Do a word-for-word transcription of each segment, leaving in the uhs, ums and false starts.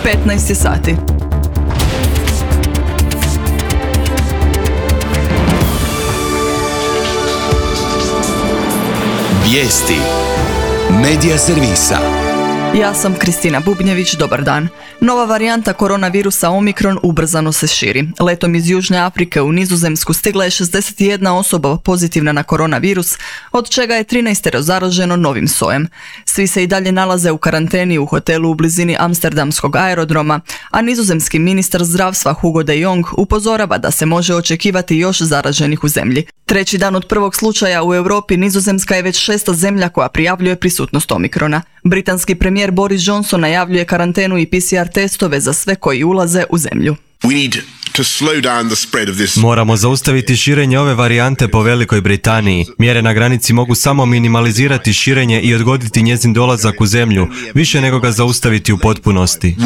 petnaest sati. Vijesti Medija servisa. Ja sam Kristina Bubnjević, dobar dan. Nova varijanta koronavirusa Omikron ubrzano se širi. Letom iz Južne Afrike u Nizozemsku stigla je šezdeset jedna osoba pozitivna na koronavirus, od čega je trinaest zaraženo novim sojem. Svi se i dalje nalaze u karanteni u hotelu u blizini Amsterdamskog aerodroma, a nizozemski ministar zdravstva Hugo de Jong upozorava da se može očekivati još zaraženih u zemlji. Treći dan od prvog slučaja u Europi, Nizozemska je već šesta zemlja koja prijavljuje prisutnost Omikrona. Britanski premijer Boris Johnson najavljuje karantenu i P C R testove za sve koji ulaze u zemlju. Moramo zaustaviti širenje ove varijante po Velikoj Britaniji. Mjere na granici mogu samo minimalizirati širenje i odgoditi njezin dolazak u zemlju, više nego ga zaustaviti u potpunosti.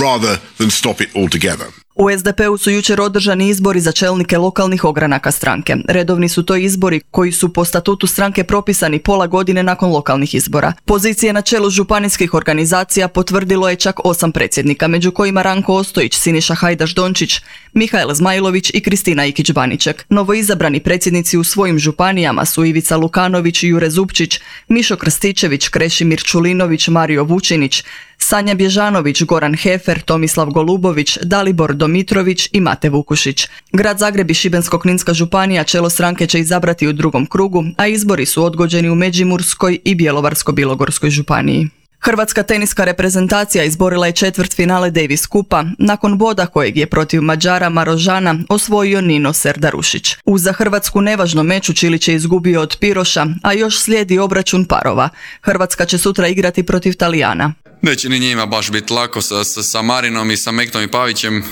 U S D P-u su jučer održani izbori za čelnike lokalnih ogranaka stranke. Redovni su to izbori koji su po statutu stranke propisani pola godine nakon lokalnih izbora. Pozicije na čelu županijskih organizacija potvrdilo je čak osam predsjednika, među kojima Ranko Ostojić, Siniša Hajdaš Dončić, Mihael Zmajlović i Kristina Ikić-Baniček. Novoizabrani predsjednici u svojim županijama su Ivica Lukanović i Jure Zupčić, Mišo Krstičević, Krešimir Čulinović, Mario Vučinić, Sanja Bježanović, Goran Hefer, Tomislav Golubović, Dalibor Domitrović i Mate Vukušić. Grad Zagreb i Šibensko-kninska županija čelo stranke će izabrati u drugom krugu, a izbori su odgođeni u Međimurskoj i Bjelovarsko-bilogorskoj županiji. Hrvatska teniska reprezentacija izborila je četvrtfinale Davis Kupa nakon boda kojeg je protiv Mađara Marožana osvojio Nino Serdarušić. U za Hrvatsku nevažnom meču Čilić je izgubio od Piroša, a još slijedi obračun parova. Hrvatska će sutra igrati protiv Talijana. Neće ni njima baš biti lako sa, sa, sa Marinom i sa Mektom i Pavićem, e,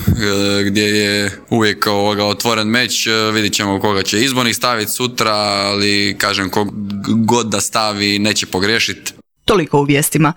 gdje je uvijek ovoga otvoren meč. E, vidit ćemo koga će izbornik staviti sutra, ali kažem kog god da stavi neće pogriješiti. Toliko u vijestima.